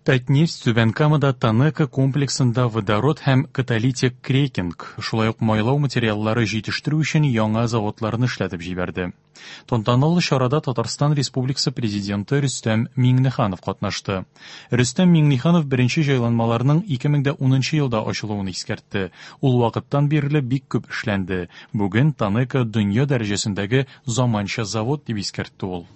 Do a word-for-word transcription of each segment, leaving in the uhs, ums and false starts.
Татнефть Түбән Камада ТАНЕКО комплексында водород һәм каталитик крекинг, шулай ук майлау материаллары җитештерү өчен яңа заводларны эшләтеп җибәрде. Тантаналы чарада Татарстан Республикасы Президенты Рөстәм Миңнеханов катнашты. Рөстәм Миңнеханов беренче җайланмаларның ике мең дә унынчы елда ачылуын искәртте. Ул вакыттан бирле бик күп эшләнде. Бүген ТАНЕКО дөнья дәрәҗәсендәге заманча завод дип искәртте ул.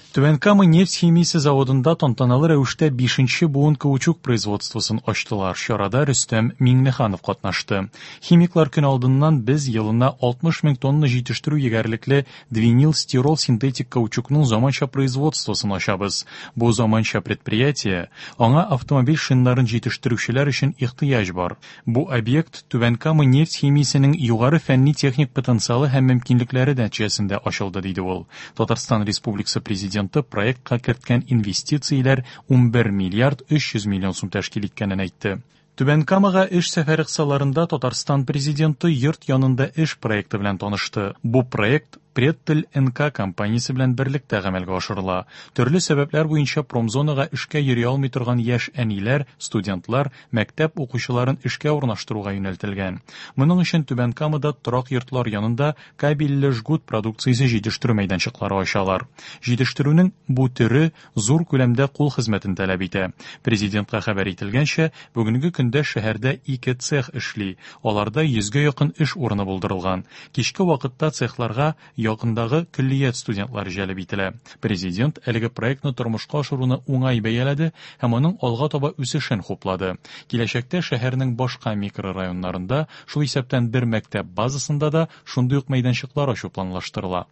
Түбән Кама нефть химиясе заводында тантаналы рәвештә бишенче буын каучук производствосын ачтылар. Чарада Рөстәм Миңнеханов катнашты. Химиклар көн алдыннан без елына алтмыш мең тонна җитештерү егәрлекле двинил стирол синтетик каучукның заманча производствосын ачабыз. Бу заманча предприятие, аңа автомобиль шиннарын җитештерүчеләр өчен ихтыяҗ бар. Бу объект Түбән Кама нефть химиясенең югары фәнни-техник потенциалы һәм мөмкинлекләре нәтиҗәсендә ачылды, диде ул. Татарстан Республикасы Президенты проектка керткән инвестицияләр унбер миллиард өч йөз миллион сум тәшкил иткәнен әйтте. Түбән Камага эш сәфәре кысаларында Татарстан Президенты йорт янында эш проекты белән танышты. Бу проект Преттель эн ка компаниясе белән берлектә гамәлгә ашырыла. Төрле сәбәпләр буенча промзонага эшкә йөри алмый торган яшь әниләр, студентлар, мәктәп укучыларын эшкә урнаштыруга юнәлтелгән. Моның өчен Түбән Камада торак йортлар янында кабельле жгут продукциясе җитештерү мәйданчыклары ачалар. Җитештерүнең бу төре зур күләмдә кул хезмәтен таләп итә. Президентка хәбәр ителгәнчә, бүгенге көндә шәһәрдә ике цех эшли. Аларда йөзгә якын эш урыны булдырылган. Кичке вакытта цехларга якындагы көллият студентлары җәлеп ителә. Президент әлеге проектны тормышка ашыруны уңай бәяләде һәм аның алга таба үсешен хуплады. Киләчәктә шәһәрнең башка микрорайоннарында, шул исәптән бер мәктәп базасында да шундый ук мәйданчыклар ачу планлаштырыла.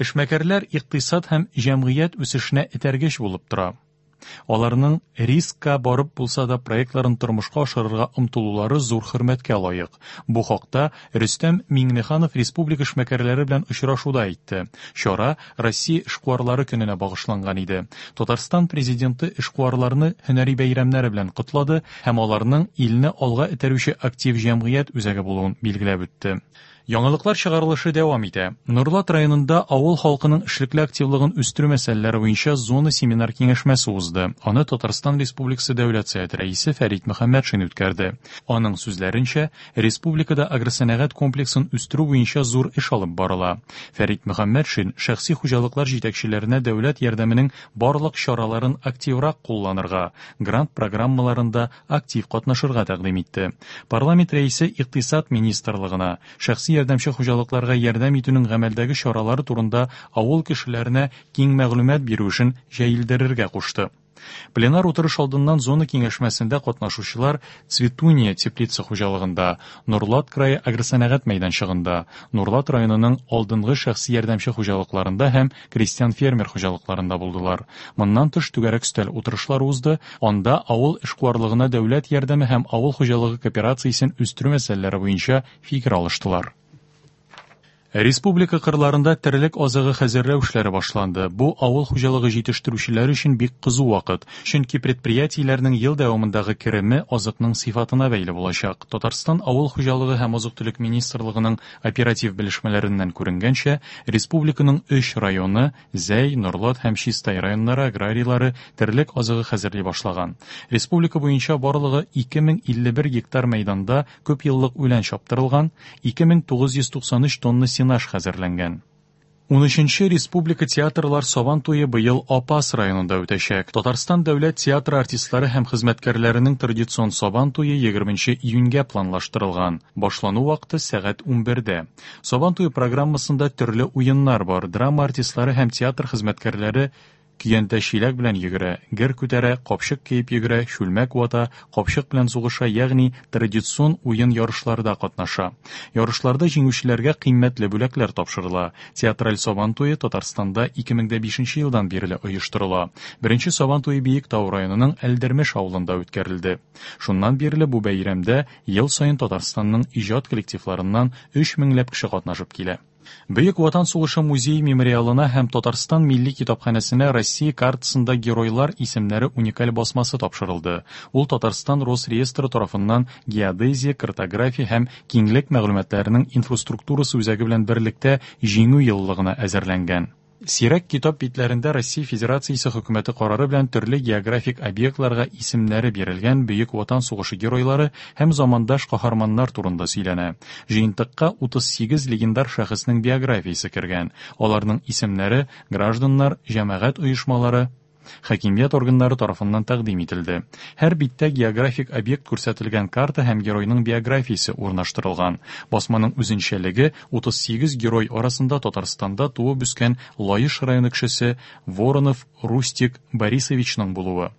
Эшмәкәрләр икътисад һәм җәмгыять үсешенә этәргеч булып тора. Аларның рискка барып булса да проектларын тормышка ашырырга омтылулары зур хөрмәткә лаек. Бу хакта Рөстәм Миңнеханов республика эшмәкәрләре белән очрашуда әйтте. Чара Россия эшкуарлары көненә багышланган иде. Татарстан президенты эшкуарларны һөнәри бәйрәмнәре белән котлады һәм аларның илне алга этәрүче актив җәмгыять үзәге булуын билгеләп үтте. Яңалыклар чыгарылышы дәвам итә. Нурлат районында авыл халкының эшлекле активлыгын үстерү мәсьәләләре буенча зона семинар киңәшмәсе узды. Аны Татарстан Республикасы Дәүләт Советы рәисе Фәрит Мөхәммәтшин үткәрде. Аның сүзләренчә, республикада агросәнәгать комплексын үстерү буенча зур эш алып барыла. Фәрит Мөхәммәтшин шәхси хуҗалыклар җитәкчеләренә дәүләт ярдәменең барлык чараларын активрак кулланырга, грант программаларында актив катнашырга тәкъдим итте. Парламент рәисе Икътисад министрлыгына шәхси ярдәмче хуҗалыкларга ярдәм итүнең гамәлдәге чаралары турында авыл кешеләренә киң мәгълүмат бирү эшен җәелдерергә кушты. Пленар утырыш алдыннан зона киңәшмәсендә катнашучылар Цветуния теплица хуҗалыгында, Нурлат крае агросәнәгать мәйданчыгында, Нурлат районының алдынгы шәхси ярдәмче хуҗалыкларында һәм крестьян-фермер хуҗалыкларында булдылар. Моннан тыш түгәрәк өстәл утырышлары узды, анда авыл эшкуарлыгына дәүләт ярдәме һәм авыл хуҗалыгы кооперациясен үстерү мәсьәләләре буенча фикер алыштылар. Республика кырларында терлек азыгы хәзерләү эшләре башланды. Бу авыл хуҗалыгы җитештерүчеләр өчен бик кызу вакыт, чөнки предприятиеләрнең ел дәвамындагы кереме азыкның сыйфатына бәйле булачак. Татарстан авыл хуҗалыгы һәм азык-төлек министрлыгының оператив белешмәләреннән күренгәнчә, республиканың өч районы Зәй, Нурлат һәм Чистай районнары аграрийлары терлек азыгы хәзерли башлаган. Республика буенча барлыгы ике мең илле бер гектар мәйданда күп еллык үлән чаптырылган, ике мең тугыз йөз туксан өч тонна сенаж хәзерләнгән. Унөченче республика театрлар Сабан туе быел Апас районында үтәчәк. Татарстан дәүләт театры артистлары һәм хезмәткәрләренең традицион Сабан туе егерменче июньгә планлаштырылган. Башлану вакыты сәгать унбердә. Сабан туе программасында төрле уеннар бар. Драма артистлары һәм театр хезмәткәрләре көянтә чиләк белән йөгерә, гер күтәрә, капчык киеп йөгерә, чүлмәк вата, капчык белән сугыша, ягъни традицион уен ярышларда катнаша. Ярышларда җиңүчеләргә кыйммәтле бүләкләр тапшырыла. Театраль Сабан туе Татарстанда ике мең дә бишенче елдан бирле оештырыла. Беренче Сабан туе Биектау районының Әлдермеш авылында үткәрелде. Шуннан бирле бу бәйрәмдә ел саен Татарстанның иҗат коллективларыннан өч меңләп кеше катнашып килә. Бөек Ватан сугышы музей мемориалына һәм Татарстан милли китапханәсенә Россия картасында геройлар исемнәре уникаль басмасы тапшырылды. Ул Татарстан Росреестры тарафыннан геодезия, картография һәм киңлек мәгълүматларының инфраструктурасы үзәге белән берлектә җиңү еллыгына әзерләнгән. Сирәк китап битләрендә Россия Федерациясе Хөкүмәте карары белән төрле географик объектларга исемнәре бирелгән Бөек Ватан сугышы геройлары һәм замандаш каһарманнар турында сөйләнә. Җыентыкка утыз сигез легендар шәхеснең биографиясе кергән. Аларның исемнәре гражданнар, җәмәгать оешмалары, хакимият органнары тарафыннан тәкъдим ителде. Һәр биттә географик объект күрсәтелгән карта һәм геройның биографиясе урнаштырылган. Басманың үзенчәлеге утыз сигез герой арасында Татарстанда туып үскән Лаеш районы кешесе Воронов Рустик Борисовичның булуы.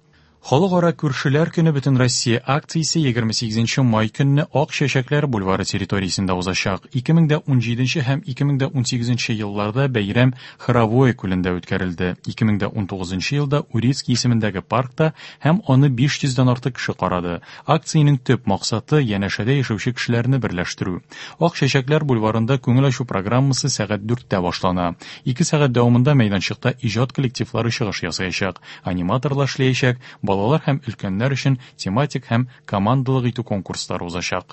Халыкара күршеләр көне Бөтенроссия акциясе егерме сигезенче май көнне Ак чәчәкләр бульвары территориясендә узачак. Ике мең дә унҗиденче һәм ике мең дә унсигезенче елларда бәйрәм Хоровое күлендә үткәрелде. Ике мең дә унтугызынчы елда Урицкий исемендәге паркта һәм аны биш йөздән артык кеше карады. Акциянең төп максаты янәшәдә яшәүче кешеләрне берләштерү. Ак чәчәкләр бульварында күңел ачу программасы сәгать дүрттә башлана. Ике сәгать дәвамында мәйданчыкта иҗат коллективлары чыгыш ясаячак, аниматорлар эшләячәк, балалар һәм өлкәннәр өчен тематик һәм командалык итү конкурслары узачак.